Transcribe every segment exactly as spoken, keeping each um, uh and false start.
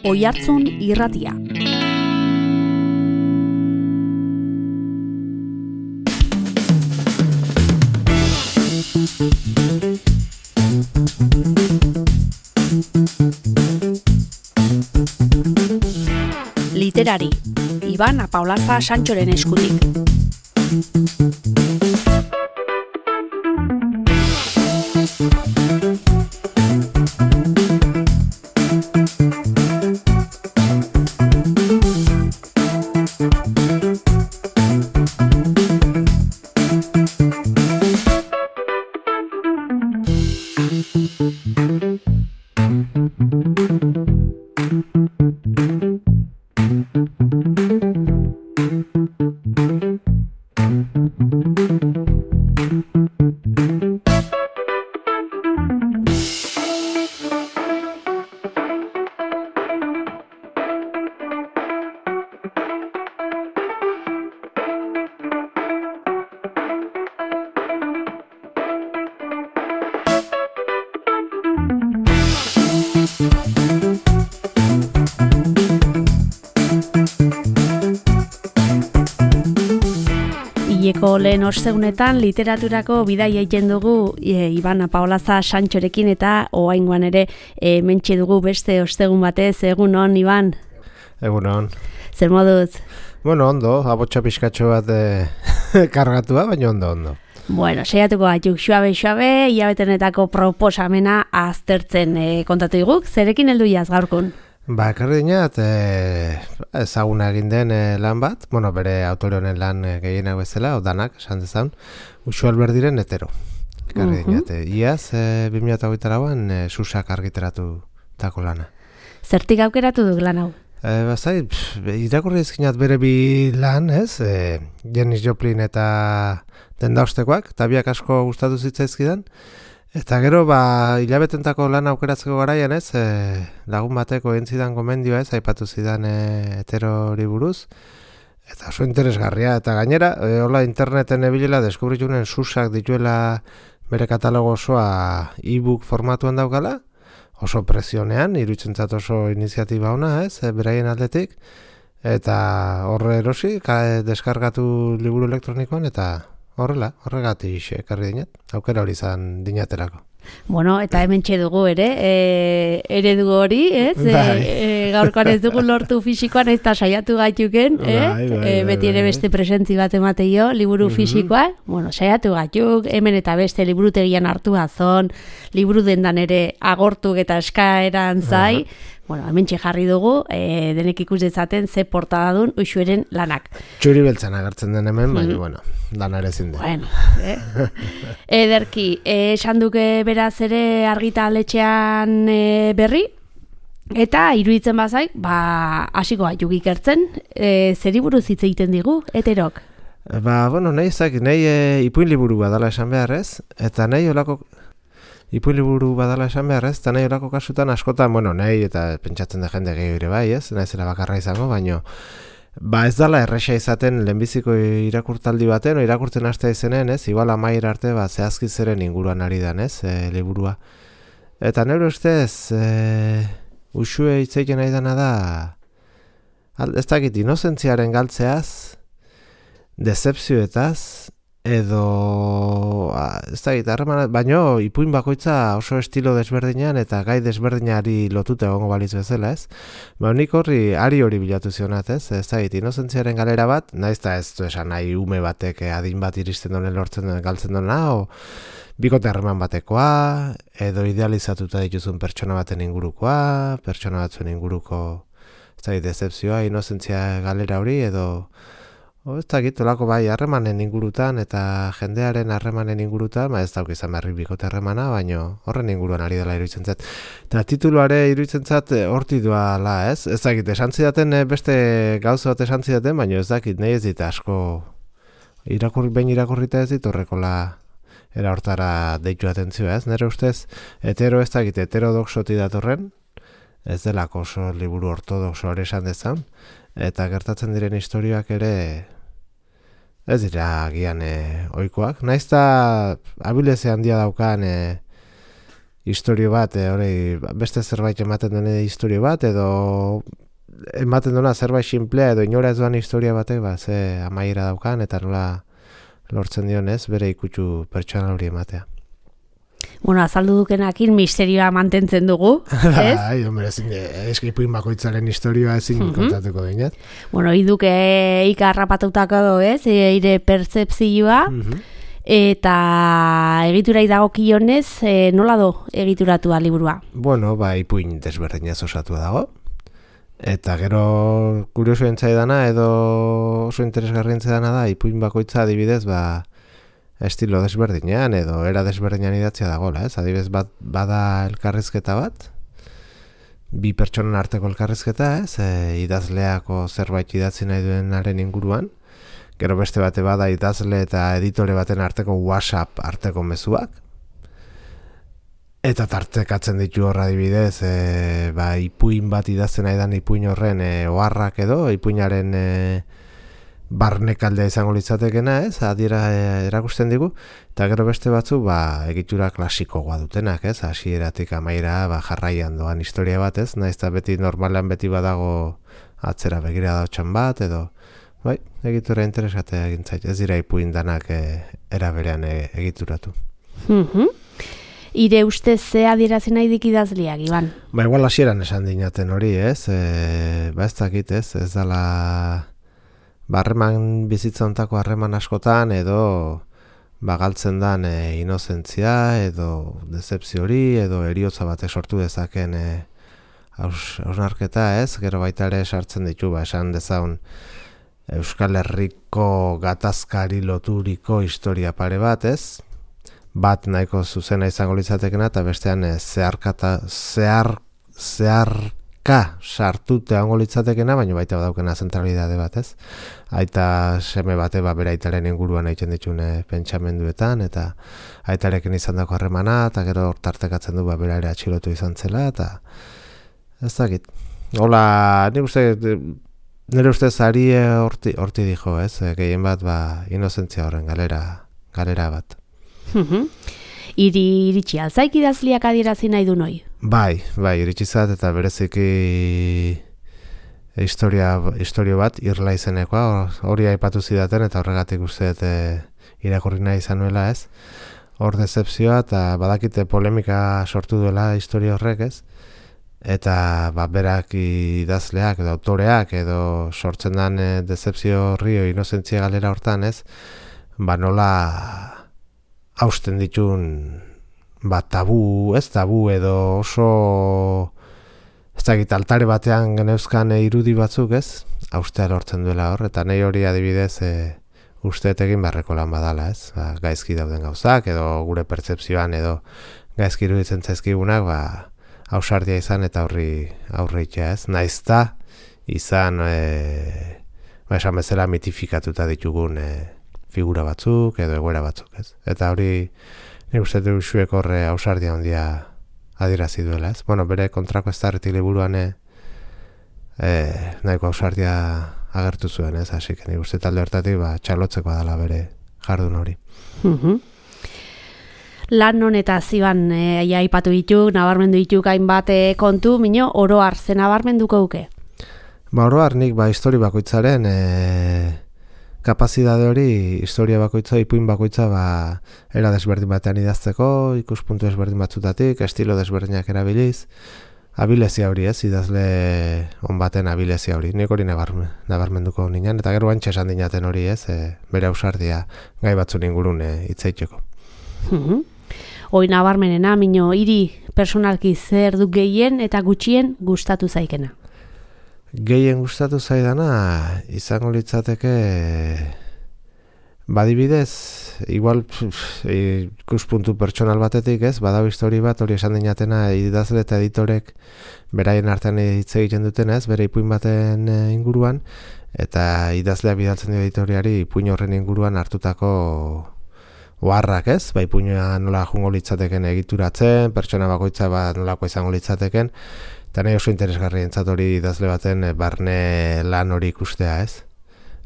Oihartzun Irratia. Literari, Iban Apaolaza Santxoren eskutik. Ileko lehen ostegunetan literaturako bidaia egiten dugu e, Iban Apaolaza Santxorekin eta oraingoan ere e, mentxe dugu beste ostegun batez. Egunon, Iban? Egunon. Zer moduz? Bueno, ondo, abotsa pixkatxo bat e, kargatua, baina ondo, ondo. Bueno, saiatuko gatuk xuabe-xuabe, hilabetenetako proposamena aztertzen e, kontatu diguk. Zerekin heldu jaz gaurkun? Ba, ekarri dinat, e, ezaguna egin den e, lan bat, bueno, bere autore honen lan e, gehienak bezala, odanak, esan dezan, Uxu Alberdiren Hetero. Ekarri uh-huh. dinat, e, iaz, e, bi mila hogeita lauan, e, Susak argitaratu tako lana. Zertik aukeratu duk lan hau? E, Bazai, irakurri ezkinat bere bi lan, ez, e, Janis Joplin eta Dendaostekoak, eta biak asko gustatu zitzaizkidan. Eta gero, ba, hilabetentako lan aukeratzeko garaian ez, e, lagun bateko entzidan gomendioa ez, aipatu zidan e, Heterori buruz. Eta oso interesgarria, eta gainera, e, hola interneten ebilela deskubritunen Susak dituela bere katalogo osoa e-book formatuan daukala, oso presionean, iruditzen oso iniziatiba ona ez, e, beraien aldetik, eta horre erosi, ka, deskargatu liburu elektronikoan, eta horrela, horregatik ekarri dinat, aukera hori izan dinaterako. Bueno, eta hemen dugu ere, e, eredu hori, ez? E, e, gaurkoan ez dugu lortu fisikoan, ez da saiatu gaituken, eh? Bai, bai, bai, e, beti ere beste presentzi bat emateio, liburu uh-huh. fisikoan, bueno, saiatu gaituk, hemen eta beste liburutegian hartu azon, liburu dendan ere agortuk eta eskaeran zai, uh-huh. Bueno, hemen jarri dugu, e, denek ikus dezaten ze portada dun Uxueren lanak. Txuri beltzan agertzen den hemen, baina, mm. bueno, lanare zinde. Bueno, eh? Ederki, esan duke beraz ere argitaletxean e, berri, eta iruditzen bazaik, ba, hasiko gaituk ikertzen, e, zeri buruz hitz egiten digu, Heterok? Ba, bueno, nahi ezak, nahi e, ipuin liburu badala esan beharrez, eta nahi olako... Ipuin liburu badala esan behar ez, eta nahi horako kasutan askotan, bueno, nahi eta pentsatzen da jende gehiago ere bai ez, nahi zela bakarra izango, baino ba ez dala erresa izaten lehenbiziko irakurtaldi baten, o irakurtzen hastea izenen ez, igual amaiera arte ba, zehazki zeren inguruan ari dan ez, e, liburua. Eta nire ustez, e, Uxue hitzeiten nahi dana da, ez dakit, inozentziaren galtzeaz, decepzioetaz, edo ez da gitarra, baino ipuin bakoitza oso estilo desberdinean eta gai desberdinari lotuta egongo balitz bezala ez. Ba, nik horri ari hori bilatu zionat ez, ez da git, inozentziaren galera bat, naiz eta ez du esan nahi ume batek adin bat iristen donen lortzen donen galtzen dona, o bikote harreman batekoa, edo idealizatuta dituzun pertsona baten ingurukoa, pertsona batzuen inguruko ez da git, decepzioa, inozentzia galera hori, edo O, ez dakit, olako bai, harremanen ingurutan eta jendearen harremanen ingurutan, ba ez dauk izan berri bikote harremana, baino horren inguruan ari dela iruditzen zat. Eta tituluare iruditzen zat horti duala, ez? Ez dakit, esan zidaten beste gauza bat esan zidaten, baino ez dakit, nahi ez dit asko irakurri, behin irakurrita ez dit horrekola era hortara deitu atentzioa, ez? Nere ustez, hetero ez dakit, heterodoxoti datorren, ez delako oso liburu ortodoxo hori esan dezan, eta gertatzen diren historiak ere ez dira gian e, oikoak. Naiz eta abileze handia daukan e, historio bat, e, hori, beste zerbait ematen duen historio bat, edo ematen duena zerbait simplea, edo inora ez duan historia batek, ba, ze amaiera daukan, eta nola lortzen dionez, bere ikutsu pertsonal hori ematea. Bueno, azaldu dukenakin misterioa mantentzen dugu, ez? Bai, hombre, eskipuin bakoitzaren historioa ezin uh-huh. kontatuko dinat. Bueno, iduk eika harrapatutako do, ez? Eire pertzepzioa, uh-huh. eta egiturai dagokionez, e, nola do egituratua liburua? Bueno, ba, ipuin desberdinaz osatua dago. Eta gero kurioso entzaidana edo oso interesgarri entzaidana da, ipuin bakoitza adibidez, ba, estilo desberdinean edo era desberdinean idatzia dagoela, ez? Adibidez bat bada elkarrizketa bat, bi pertsonen arteko elkarrizketa, ez? E, idazleako zerbait idatzi nahi duenaren inguruan, gero beste bate bada idazle eta editore baten arteko WhatsApp arteko mezuak, eta tartekatzen ditu horra adibidez, e, ba, ipuin bat idazten nahi dan ipuin horren e, oharrak edo, ipuinaren e, barnekaldea izango litzatekena, ez, adiera e, erakusten digu, eta gero beste batzu, ba, egitura klasikoa dutenak, ez, hasieratik amaira, ba, jarraian doan historia bat, ez, naiz eta beti normalan beti badago atzera begira dautxan bat, edo, bai, egitura interesatea egin zait, ez dira ipuin danak e, era berean e, egituratu. Mhm. Ire ustez ze adierazi nahi dik idazleak, Iban? Ba, igual hasieran esan dinaten hori, ez, e, ba, ez dakit, ez, ez dala barreman bizitza ontako harreman askotan edo bagaltzen dan e, inozentzia edo decepzio hori edo eriotza batek sortu dezaken e, hausnarketa, ez, gero baita ere sartzen ditu, ba, esan dezaun Euskal Herriko gatazkari loturiko historia pare bat, ez, bat nahiko zuzena izango litzatekena eta bestean e, zeharkata, zehar, zeharka sartute hango litzatekena, baina baita badaukena zentralidade bat, ez? Aita seme bate ba bere aitaren inguruan egiten ditune pentsamenduetan, eta aitarekin izan dako harremana, eta gero tartekatzen du ba bera ere atxilotu izan zela, eta ez dakit. Hola, nik uste, nire ustez ari horti, horti dijo, ez? Gehien bat ba inozentzia horren galera, galera bat. Iri iritsi alzaik idazliak adierazi nahi du noi? Bai, bai, iritsi zat eta bereziki historia, historio bat, irla izenekoa, hori aipatu zidaten eta horregatik uste e, irakurri nahi izan nuela, ez? Hor decepzioa eta badakite polemika sortu duela historia horrek, ez? Eta ba, berak idazleak edo autoreak edo sortzen den e, decepzio horri o inozentzia galera hortan, ez? Ba nola hausten ditun ba, tabu, ez tabu edo oso ez dakit altare batean geneuzkan irudi batzuk, ez? Haustea lortzen duela hor, eta nahi hori adibidez e, usteet egin beharreko lan badala, ez? Ba, gaizki dauden gauzak edo gure pertzepzioan edo gaizki iruditzen zaizkigunak, ba, ausardia izan eta horri aurreitea, ez? Naizta izan e, ba, esan bezala mitifikatuta ditugun e, figura batzuk edo egoera batzuk, ez? Eta hori nik uste du xuek horre ausardia handia adierazi duela, ez? Bueno, bere kontrako eztarritik liburuan e, nahiko ausardia agertu zuen, ez? Así que nik uste talde hortatik ba, txalotzeko dela bere jardun hori. Uh-huh. Lan honetaz Iban e, aipatu dituk, nabarmendu dituk hainbat e, kontu, mino oroar ze nabarmenduko duke? Ba, oroar nik ba, histori bakoitzaren e, kapazidade hori, historia bakoitza, ipuin bakoitza, ba, era desberdin batean idazteko, ikuspuntu desberdin batzutatik, estilo desberdinak erabiliz, abilezia hori, ez, idazle on baten abilezia hori, nik hori nabarmen, nabarmenduko ninan, eta gero bantxe esan dinaten hori, ez, e, bere ausardia gai batzun ingurun itzaiteko. Uh-huh. Hoi nabarmenena, mino, hiri personalki zer duk gehien eta gutxien gustatu zaikena? Gehien gustatu zaidana izango litzateke badibidez, igual ikuspuntu pertsonal batetik, ez, badau histori bat hori esan dinatena idazle eta editorek beraien artean hitz egiten duten, ez, bere ipuin baten inguruan, eta idazlea bidaltzen dio editoriari ipuin horren inguruan hartutako oharrak, ez, ba ipuina nola jungo litzateken egituratzen, pertsona bakoitza ba nolako izango litzateken. Eta nahi oso interesgarri entzat hori idazle baten barne lan hori ikustea, ez?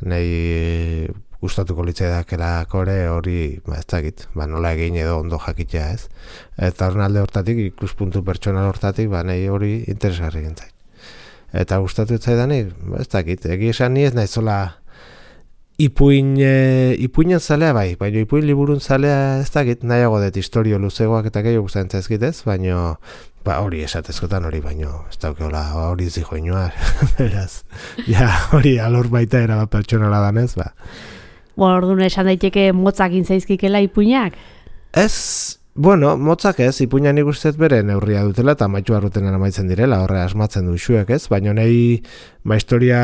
Nahi gustatuko litzaidakeela kore hori, ba, ez dakit, ba, nola egin edo ondo jakitea, ez? Eta horren alde hortatik, ikuspuntu pertsonal hortatik, ba, nahi hori interesgarri gintzait. Eta gustatu zaidanik, ba, ez dakit, egi esan ni ez nahizola ipuin, e, ipuinen zalea bai, baina ipuin liburun zalea ez dakit, nahiago dut historio luzegoak eta gehiago gustatzen zaizkitez, baina ba, hori esatezkotan hori, baino ez daukeola hori zijoinua, beraz, ja, hori alor baita era bat pertsonala danez, ba. Bueno, orduan esan daiteke motzak intzaizkikela ipuinak? Ez, bueno, motzak ez, ipuina nik ustez bere neurria dutela eta amaitu barrutenan amaitzen direla, horre asmatzen du xuek ez, baina nahi ba, historia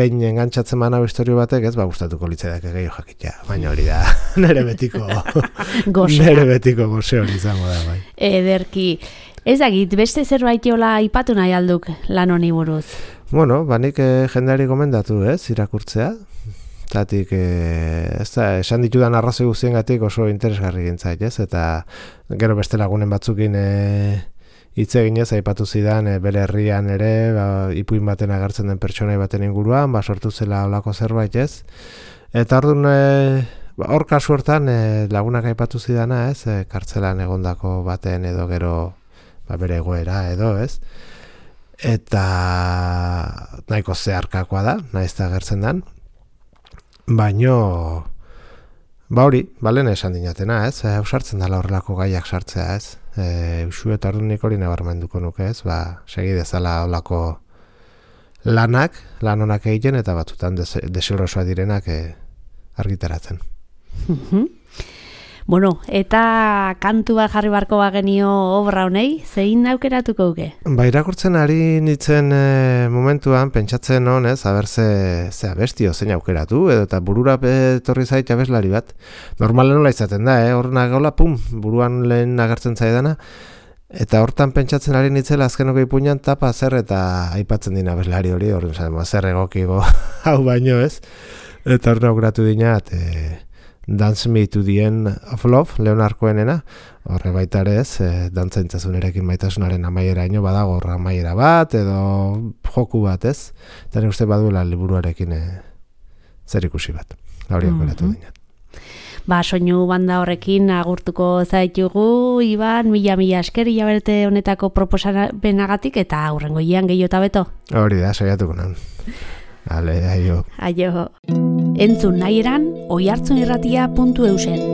behin engantzatzen manau historio batek ez, ba, gustatuko litzaidak gehiago jakitea, baina hori da, nere betiko, nere betiko goze hori izango da, bai. Ederki, ez dakit, beste zerbait jola ipatu nahi alduk lan honi buruz? Bueno, banik eh, jendeari gomendatu ez, irakurtzea, Zatik, e, ez da, esan ditudan arrazoi guztiengatik oso interesgarri gintzait, ez? Eta gero beste lagunen batzukin hitz e, eginez, aipatu zidan e, bere herrian ere, ba, ipuin baten agertzen den pertsonai baten inguruan, ba, sortu zela olako zerbait, ez? Eta orduan, e, ba, hor kasu hortan e, lagunak aipatu zidana, ez? E, kartzelan egondako baten edo gero ba, bere egoera edo, ez? Eta nahiko zeharkakoa da, nahiz eta agertzen den. Baino, ba hori, balen esan dinatena, ez? E, Eusartzen dala horrelako gaiak sartzea, ez? E, Usu eta ordunik hori nabarmenduko nuke, ez? Ba, segi dezala horrelako lanak, lan honak egiten, eta batzutan deserosoa direnak e, argitaratzen. Bueno, eta kantu bat jarri barko bagenio obra honei, zein aukeratuko uke? Ba, irakurtzen ari nintzen e, momentuan, pentsatzen honez, haber ze, ze abestio zein aukeratu, edo eta burura etorri zait abeslari bat. Normalen nola izaten da, eh? Horren agola, pum, buruan lehen agertzen zaidana, eta hortan pentsatzen ari nintzela azkenoko ipuinan tapa zer eta aipatzen dina abeslari hori, horren zaten, zer egokigo hau baino, ez? Eta horren aukeratu dinat, e, Dance Me to the End of Love, Leonard Cohenena, horre baita ere ez, e, dantzaintzazunerekin maitasunaren amaieraino badago horra amaiera bat, edo joku bat ez, eta nire uste baduela liburuarekin e, zer ikusi bat, hori aukeratu mm-hmm. dinat. Ba, soinu banda horrekin agurtuko zaitugu, Iban, mila-mila esker, hilabete honetako proposabenagatik, eta aurrengo ian gehiota beto. Hori da, saiatuko nan. Ale, aio. Aio. Entzun nahi eran, oihartzunirratia puntu eusen.